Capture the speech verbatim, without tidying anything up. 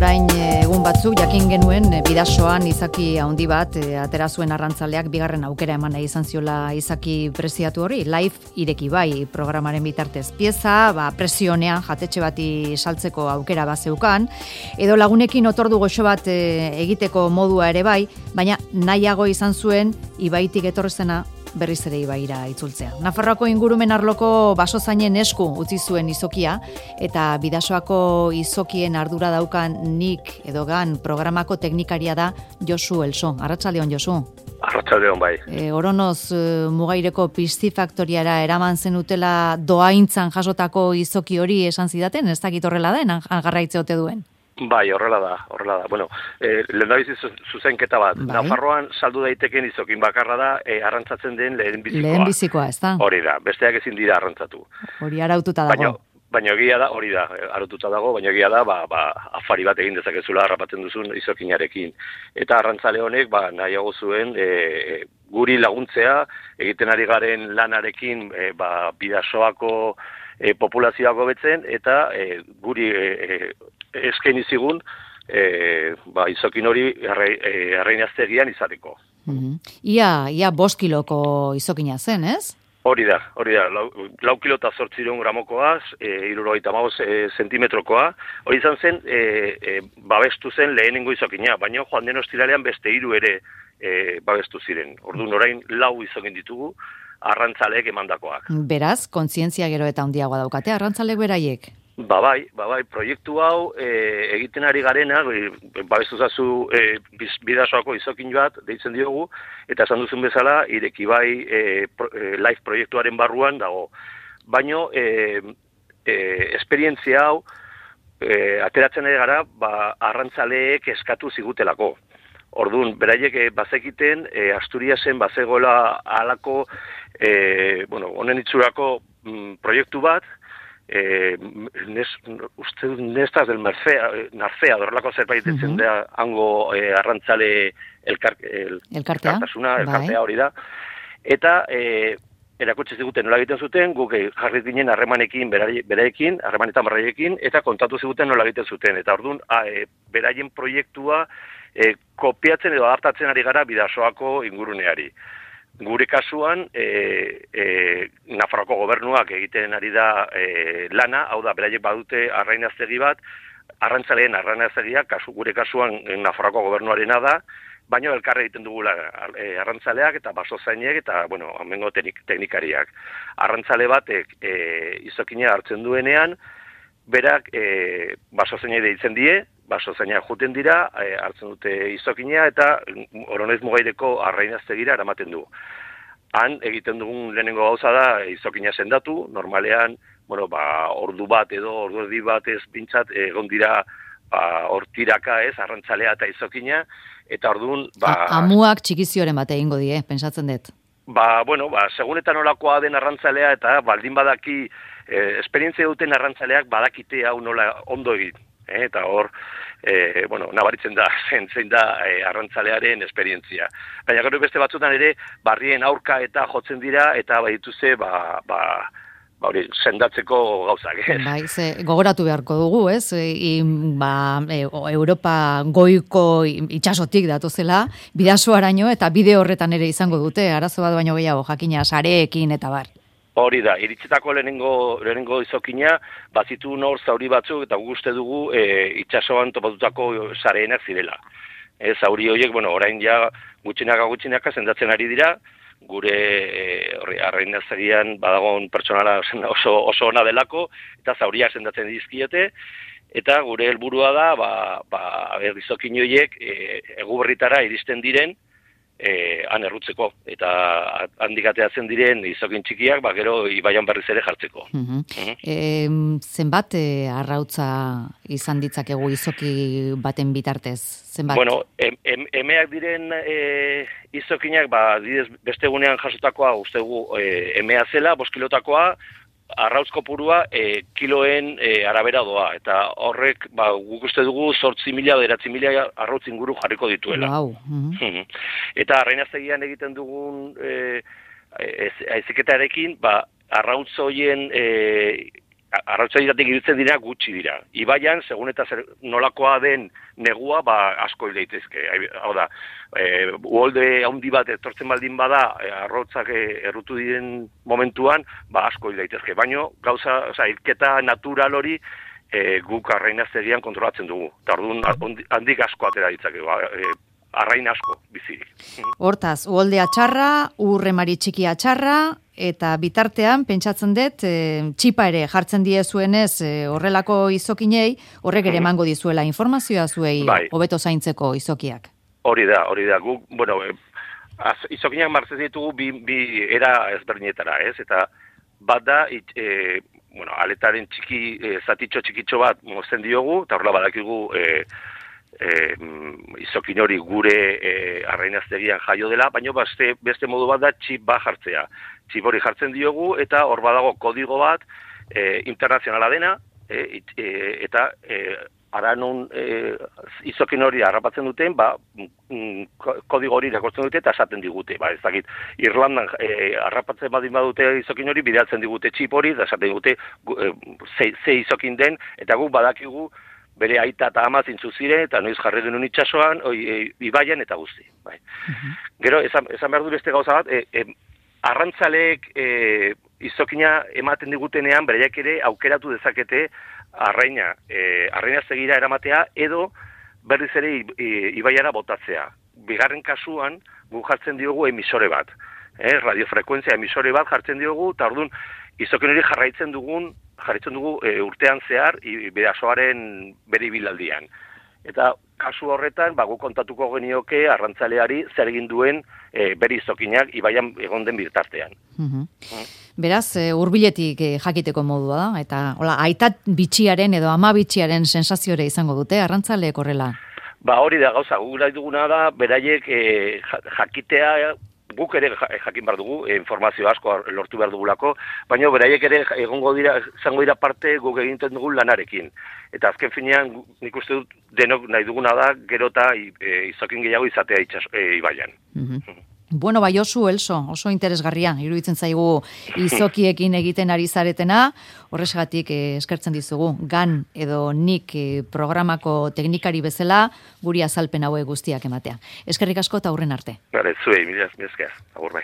orain egun batzuk jakin genuen Bidasoan izaki handi bat e, atera zuen arrantzaleak bigarren aukera eman nahi izan ziola izaki preziatu hori, live ireki bai programaren bitartez pieza, ba, presionean jatetxe bati saltzeko aukera bazeukan, edo lagunekin otordu goxo bat e, egiteko modua ere bai, baina nahiago izan zuen ibaitik etorrezena berriz ere ibaira itzultzea. Nafarroako ingurumen arloko basozainen esku utzi zuen izokia, eta Bidasoako izokien ardura daukan nik edo gan programako teknikaria da Josu Elso. Arratsaldeon, Josu. Arratsaldeon bai. E, oronoz e, Mugaireko pistifaktoriara eraman zenutela doaintzan jasotako izoki hori esan zidaten, ez dakit horrela den, garraitze ote duen. Bai, horrela da, horrela da. Bueno, eh, lehendabizi zuzenketa bat. Bai. Nafarroan saldu daiteken izokin bakarra da eh, arrantzatzen den lehen bizikoa. Lehen bizikoa, ez da? Hori da, besteak ezin dira arrantzatu. Hori araututa dago. Baina, baina egia da, hori da, araututa dago, baina egia da, ba, ba, afari bat egin dezakezula harrapatzen duzun izokinarekin. Eta arrantzale honek, ba, nahiago zuen, e, guri laguntzea, egiten ari garen lanarekin, e, ba, Bidasoako e, populazioako betzen, eta e, guri e, eskaini zigun e, ba, izokin hori arreinaztegian izateko. Mm-hmm. Ia, ia bost kiloko izokina zen, ez? Hori da, hori da, lau, lau kilo eta zortzireun gramokoa, e, irurogeita hamabost e, zentimetrokoa, hori izan zen, e, e, babestu zen lehenengo izokina, baina joan den ostiralean beste hiru ere e, babestu ziren. Orduan orain lau izokin ditugu, arrantzaleek emandakoak. Beraz, kontzientzia gero eta handiagoa daukate, arrantzaleek beraiek? Ba bai, ba bai, proiektu hau e, egiten ari garena, e, babestu zazu e, Bidasoako izokin bat, deitzen diogu, eta esan duzun bezala, ireki bai e, pro, e, live proiektuaren barruan dago. Baino, e, e, esperientzia hau, e, ateratzen ari gara, ba, arrantzaleek eskatu zigutelako. Orduan, beraiek e, bazekiten, e, Asturiasen bazegoela halako, e, bueno, honen itxurako mm, proiektu bat, Eh, nes, uste nestaz del Mercea, Narcea, dorrelako zerbait ditzen uh-huh. da, hango eh, arrantzale elkar, el, elkartea, elkartasuna, elkartea hori da. Eta eh, erakutsi ziguten nola egiten zuten, guk jarri ginen harremanekin, beraiekin, harremanetan beraiekin, eta kontatu ziguten nola egiten zuten. Eta orduan, e, beraien proiektua e, kopiatzen edo adaptatzen ari gara Bidasoako inguruneari. Gure kasuan, e, e, Nafarroako gobernuak egiten ari da e, lana, hau da, beraiek badute arrainaztegi bat, arrantzaleen arrainaztegia, kasu, gure kasuan Nafarroako gobernuarena da, baina elkarre egiten dugula e, arrantzaleak eta basozainek eta, bueno, amengo teknik, teknikariak. Arrantzale batek e, izokina hartzen duenean, berak e, basozainek deitzen die, basozainak juten dira, e, hartzen dute izokina eta Oronez Mugaireko arrainaztegira eramaten du. Han egiten dugun lehenengo gauza da izokina sendatu, normalean, bueno, ba, ordu bat edo ordu erdi bat ez bintzat egon dira ba, hortiraka ez, arrantzalea eta izokina, eta orduan... Ba, amuak txikizioren bat egingo die, pensatzen dut. Ba, bueno, ba, segunetan olakoa den arrantzalea eta baldin badaki, eh, esperientzia duten arrantzaleak badakite hau nola ondo egin. Eh, eta hor, eh, bueno, nabaritzen da, zein, zein da eh, arrantzalearen esperientzia. Baina gero beste batzutan ere, barrien aurka eta jotzen dira, eta badituze, ba, ba, ba hori, sendatzeko gauzak, ez? Bai, ze, gogoratu beharko dugu, ez? I, ba, e, Europa goiko itxasotik datozela, Bidasoaraino eta bide horretan ere izango dute, arazo bat baino gehiago, jakina, sareekin eta bar. Hori da, iritzetako lehenengo, lehenengo izokina, bazitu nor zauri batzuk, eta guste dugu e, itxasoan topatutako sareenak zirela. E, zauri horiek, bueno, orain ja gutxinaka gutxinaka sendatzen ari dira, gure e, arrainaztegian badagon pertsonala oso, oso ona delako, eta zauriak sendatzen dizkiete, eta gure helburua da, ba, ba, izokin horiek e, eguberritara iristen diren, E, han errutzeko, eta handik ateatzen diren izokin txikiak, ba, gero ibaian berriz ere jartzeko. Uh-huh. Uh-huh. E, zenbat e, arrautza izan ditzakegu izoki baten bitartez? Zenbat? Bueno, em, em, emeak diren e, izokinak, ba, didez, beste egunean jasotakoa, ustegu e, emea zela, bost kilotakoa, arrautz kopurua e, kiloen e, arabera doa, eta horrek, ba, guk uste dugu zortzi mila, beratzi mila arrautz inguru jarriko dituela. Wow. Uh-huh. Eta arrainaztegian egiten dugun e, eziketarekin, ba, arrautz hoien e, arrautzairatik ibiltzen dira gutxi dira. Ibaian, segun eta zer, nolakoa den negua, ba, asko hil daitezke. Hau da, e, uholde handi bat etortzen baldin bada, e, arrautzak e, errutu diren momentuan, ba, asko hil daitezke. Baina, gauza, oza, hilketa natural hori, e, guk arrainaztegian kontrolatzen dugu. Eta orduan, handik asko atera ditzake, ba, e, arrain asko bizirik. Hortaz, uholdea txarra, urremari txikia txarra, eta bitartean, pentsatzen dut, e, txipa ere jartzen diezuenez e, horrelako izokinei, horrek ere emango dizuela informazioa zuei bai. Hobeto zaintzeko izokiak. Hori da, hori da. Guk, bueno, e, az, izokinak martzen ditugu bi, bi era ezberdinetara, ez? Eta bat da, it, e, bueno, aletaren txiki, e, zatitxo txikitxo bat mozten diogu, eta horrela badakigu e, E, izokin hori gure e, arrainaztegian jaio dela, baina beste, beste modu bat da txip bat jartzea. Txip hori jartzen diogu eta hor badago kodigo bat e, internazionala dena e, e, eta e, ara non e, izokin hori harrapatzen duten, ba, mm, kodigo hori irakurtzen dute eta esaten digute. Ba, ez dakit, Irlandan e, harrapatzen badin badute izokin hori, bidaltzen digute txip hori, eta esaten digute e, ze, ze izokin den, eta guk badakigu bere aita eta ama zintzu ziren, eta noiz jarri genuen itxasoan, oi, e, ibaian eta guzti. Bai. Uh-huh. Gero, esan, esan behar du beste gauza bat, e, e, arrantzaleek e, izokina ematen digutenean, bereiak ere aukeratu dezakete arraina, e, arraina segira eramatea, edo berriz ere ibaiara botatzea. Bigarren kasuan, gu jartzen diogu emisore bat. Eh, radiofrekuentzia emisore bat jartzen diogu, eta orduan, izokin hori jarraitzen dugun, jarraitzen dugu e, urtean zehar, bidasoaren bere ibilaldian. Eta kasu horretan, bagu kontatuko genioke arrantzaleari zer egin duen e, bere izokinak ibaian egon den bitartean. Uh-huh. Mm. Beraz, e, hurbiletik e, jakiteko modua da, eta hola, aitat bitxiaren edo ama bitxiaren sensaziore izango dute, arrantzaleek horrela? Ba hori da gauza, gugura duguna da, beraiek e, jakitea, guk ere jakin behar dugu, informazio asko lortu behar dugulako, baina beraiek ere egongo dira, zango dira parte guk egiten dugun lanarekin. Eta azken finean, nik uste dut denok nahi duguna da, gero eta e, izokin gehiago izatea itxas, e, ibaian. Mm-hmm. Bueno, bai oso, Elso, oso interesgarria, iruditzen zaigu izokiekin egiten ari zaretena, horrexegatik eh, eskertzen dizugu, gan edo nik eh, programako teknikari bezala, guri azalpen hauek guztiak ematea. Eskerrik asko eta aurren arte. Gare, zuei, mila esker, agur bai.